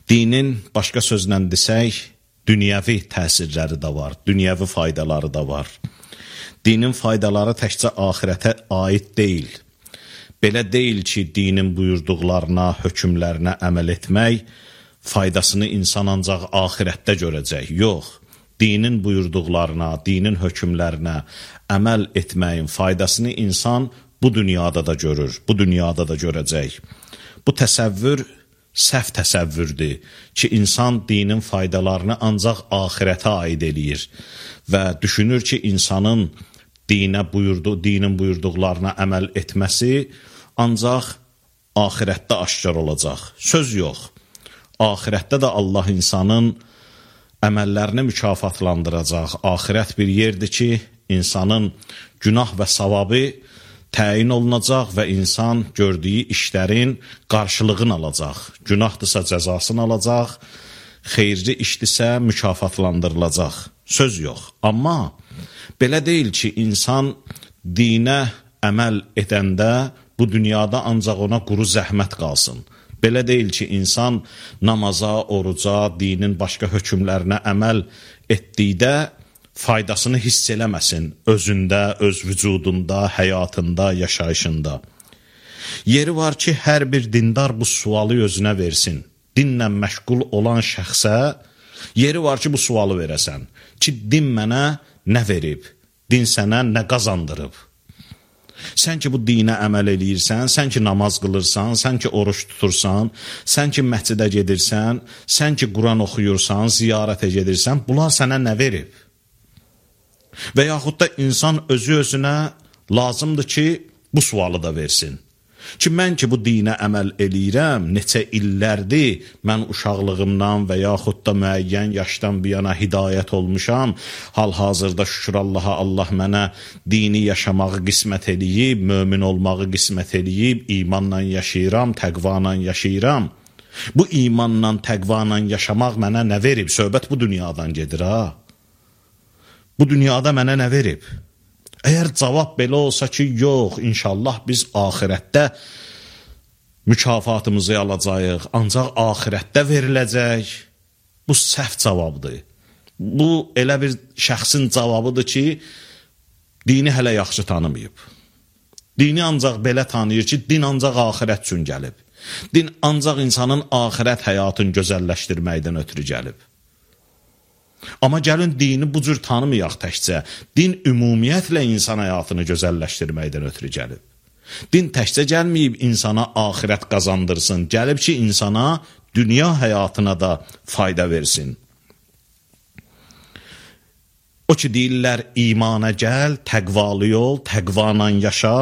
Dinin, başqa sözlə desək, dünyəvi təsirləri də var, dünyəvi faydaları da var. Dinin faydaları təkcə axirətə aid deyil. Belə deyil ki, dinin buyurduqlarına, hökmlərinə əməl etmək faydasını insan ancaq axirətdə görəcək. Yox, dinin buyurduqlarına, dinin hökmlərinə əməl etməyin faydasını insan bu dünyada da görür, bu dünyada da görəcək. Bu təsəvvür səhv təsəvvürdür ki, insan dinin faydalarını ancaq axirətə aid eləyir və düşünür ki, insanın dinin buyurduqlarına əməl etməsi ancaq axirətdə aşkar olacaq. Söz yox. Axirətdə də Allah insanın əməllərini mükafatlandıracaq. Axirət bir yerdir ki, insanın günah və savabı təyin olunacaq və insan gördüyü işlərin qarşılığını alacaq. Günahdısa cəzasını alacaq, xeyirli işdirsə mükafatlandırılacaq. Söz yox. Amma belə deyil ki, insan dinə əməl edəndə bu dünyada ancaq ona quru zəhmət qalsın. Belə deyil ki, insan namaza, oruca, dinin başqa hökmlərinə əməl etdikdə faydasını hiss eləməsin özündə, öz vücudunda, həyatında, yaşayışında. Yeri var ki, hər bir dindar bu sualı özünə versin. Dinlə məşğul olan şəxsə yeri var ki, bu sualı verəsən. Ki, din mənə nə verib? Din sənə nə qazandırıb? Sən ki, bu dinə əməl eləyirsən, sən ki, namaz qılırsan, sən ki, oruç tutursan, sən ki, məscidə gedirsən, sən ki, Quran oxuyursan, ziyarətə gedirsən, bunlar sənə nə verib? Və yaxud da insan özü-özünə lazımdır ki, bu sualı da versin. Ki, mən ki, bu dinə əməl eləyirəm, neçə illərdir mən uşaqlığımdan və yaxud da müəyyən yaşdan bir yana hidayət olmuşam, hal-hazırda şükür Allaha, Allah mənə dini yaşamağı qismət eləyib, mömin olmağı qismət eləyib, imanla yaşayıram, təqvanla yaşayıram. Bu imanla, təqvanla yaşamaq mənə nə verib? Söhbət bu dünyadan gedir, ha? Bu dünyada mənə nə verib? Əgər cavab belə olsa ki, yox, inşallah biz axirətdə mükafatımızı alacağıq, ancaq axirətdə veriləcək, bu səhv cavabdır. Bu elə bir şəxsin cavabıdır ki, dini hələ yaxşı tanımayıb. Dini ancaq belə tanıyır ki, din ancaq axirət üçün gəlib. Din ancaq insanın axirət həyatını gözəlləşdirməkdən ötürü gəlib. Amma gəlin dini bu cür tanımayaq təkcə. Din ümumiyyətlə insan həyatını gözəlləşdirməkdən ötürü gəlib. Din təkcə gəlməyib insana axirət qazandırsın, gəlib ki, insana dünya həyatına da fayda versin. O ki, deyirlər, imana gəl, təqvalı ol, təqvanla yaşa.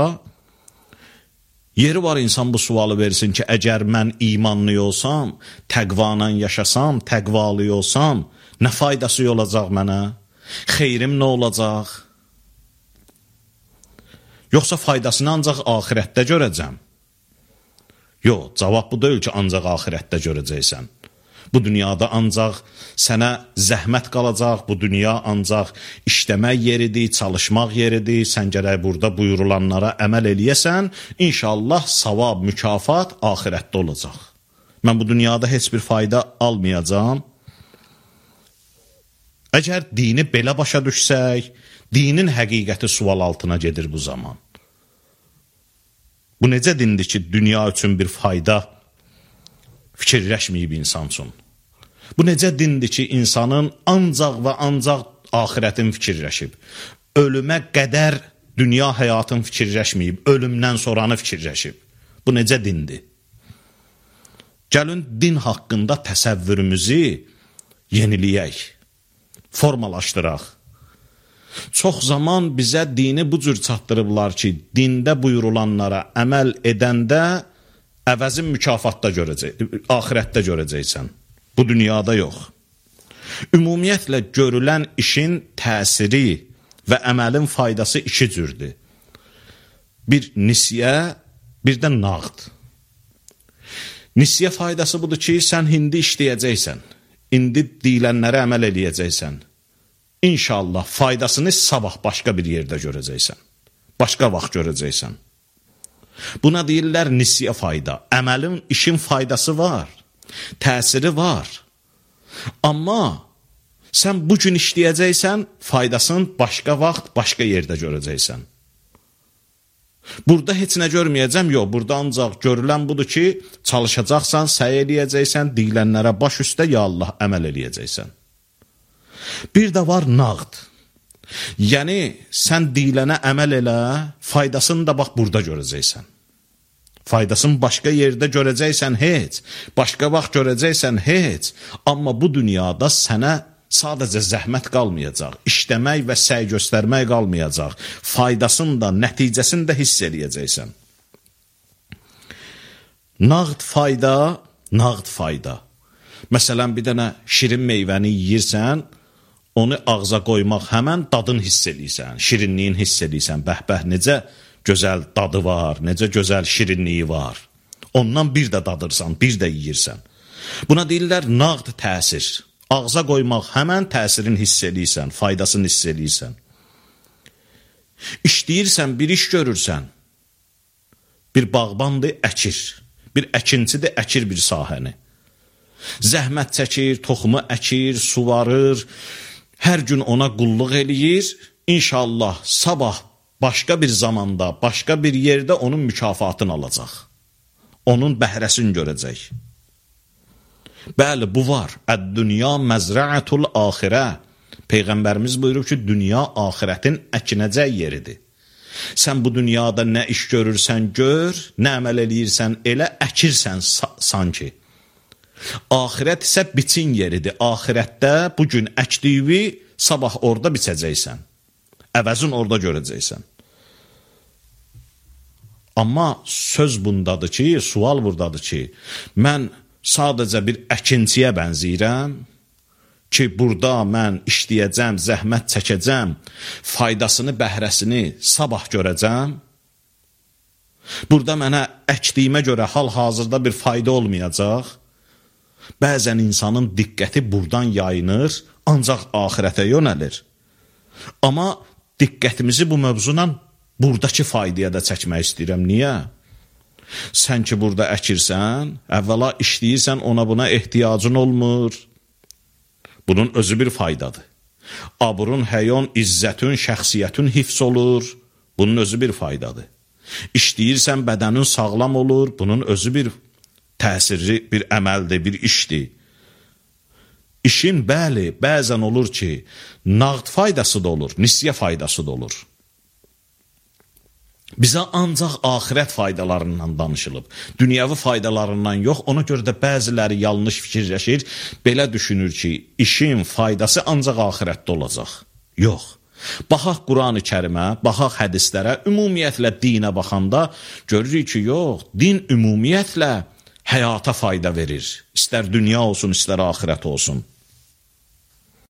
Yeri var insan bu sualı versin ki, əgər mən imanlı olsam, təqvanla yaşasam, təqvalı olsam, nə faydası olacaq mənə? Xeyrim nə olacaq? Yoxsa faydasını ancaq axirətdə görəcəm? Yox, cavab bu deyil ki, ancaq axirətdə görəcəksən. Bu dünyada ancaq sənə zəhmət qalacaq, bu dünya ancaq işləmək yeridir, çalışmaq yeridir, sən gərək burada buyurulanlara əməl eləyəsən, inşallah savab, mükafat axirətdə olacaq. Mən bu dünyada heç bir fayda almayacağam. Əgər dini belə başa düşsək, dinin həqiqəti sual altına gedir bu zaman. Bu necə dindir ki, dünya üçün bir fayda fikirləşməyib insan üçün? Bu necə dindir ki, insanın ancaq və ancaq axirətin fikirləşib? Ölümə qədər dünya həyatın fikirləşməyib, ölümdən sonranı fikirləşib. Bu necə dindir? Gəlin din haqqında təsəvvürümüzü yeniləyək. Formalaşdıraq. Çox zaman bizə dini bu cür çatdırıblar ki, dində buyurulanlara əməl edəndə əvəzin mükafatda axirətdə görəcəksən. Bu dünyada yox. Ümumiyyətlə görülən işin təsiri və əməlin faydası iki cürdür. Bir nisyə, bir də nağd. Nisyə faydası budur ki, sən indi işləyəcəksən. İndi deyilənlərə əməl eləyəcəksən. İnşallah faydasını sabah başqa bir yerdə görəcəksən. Başqa vaxt görəcəksən. Buna deyirlər nisyə fayda. Əməlin, işin faydası var. Təsiri var. Amma sən bu gün işləyəcəksən, faydasını başqa vaxt, başqa yerdə görəcəksən. Burada heç nə görməyəcəm, yox, burada ancaq görülən budur ki, çalışacaqsan, səy eləyəcəksən, deyilənlərə baş üstə, ya Allah, əməl eləyəcəksən. Bir də var nağd. Yəni, sən deyilənə əməl elə, faydasını da bax, burada görəcəksən. Faydasını başqa yerdə görəcəksən, heç. Başqa vaxt görəcəksən, heç. Amma bu dünyada sənə sadəcə zəhmət qalmayacaq, işləmək və səy göstərmək qalmayacaq, faydasını da, nəticəsini də hiss eləyəcəksən. Nağd fayda, nağd fayda. Məsələn, bir dənə şirin meyvəni yiyirsən, onu ağza qoymaq həmən dadını hiss eləyirsən, şirinliyin hiss eləyirsən, bəhbəh, necə gözəl dadı var, necə gözəl şirinliyi var. Ondan bir də dadırsan, bir də yiyirsən. Buna deyirlər nağd təsir. Ağza qoymaq həmən təsirini hiss eləyirsən, faydasını hiss eləyirsən. İşləyirsən, bir iş görürsən, bir bağbandır, əkir. Bir əkincidir, əkir bir sahəni. Zəhmət çəkir, toxumu əkir, suvarır, hər gün ona qulluq eləyir. İnşallah sabah başqa bir zamanda, başqa bir yerdə onun mükafatını alacaq. Onun bəhrəsini görəcək. Bəli, bu var. Əd-dünya məzrəətul axirə. Peyğəmbərimiz buyurub ki, dünya axirətin əkinəcək yeridir. Sən bu dünyada nə iş görürsən gör, nə əməl eləyirsən elə, əkirsən sanki. Axirət isə biçin yeridir. Axirətdə bugün əkdiyi, sabah orada biçəcəksən. Əvəzin orada görəcəksən. Amma söz bundadır ki, sual buradadır ki, mən sadəcə bir əkinciyə bənzəyirəm ki, burada mən işləyəcəm, zəhmət çəkəcəm, faydasını, bəhrəsini sabah görəcəm. Burada mənə əkdiyimə görə hal-hazırda bir fayda olmayacaq. Bəzən insanın diqqəti buradan yayınır, ancaq axirətə yönəlir. Amma diqqətimizi bu mövzuna buradakı faydaya da çəkmək istəyirəm. Niyə? Sən ki, burada əkirsən, əvvəla işləyirsən, ona buna ehtiyacın olmur. Bunun özü bir faydadır. Aburun, həyon, izzətün, şəxsiyyətün hifz olur. Bunun özü bir faydadır. İşləyirsən, bədənin sağlam olur. Bunun özü bir təsirli, bir əməldir, bir işdir. İşin, bəli, bəzən olur ki, nağd faydası da olur, nisyə faydası da olur. Bizə ancaq axirət faydalarından danışılıb. Dünyəvi faydalarından yox, ona görə də bəziləri yanlış fikirləşir, belə düşünür ki, işin faydası ancaq axirətdə olacaq. Yox. Baxaq Quran-ı Kərimə, baxaq hədislərə, ümumiyyətlə dinə baxanda görürük ki, yox, din ümumiyyətlə həyata fayda verir. İstər dünya olsun, istər axirət olsun.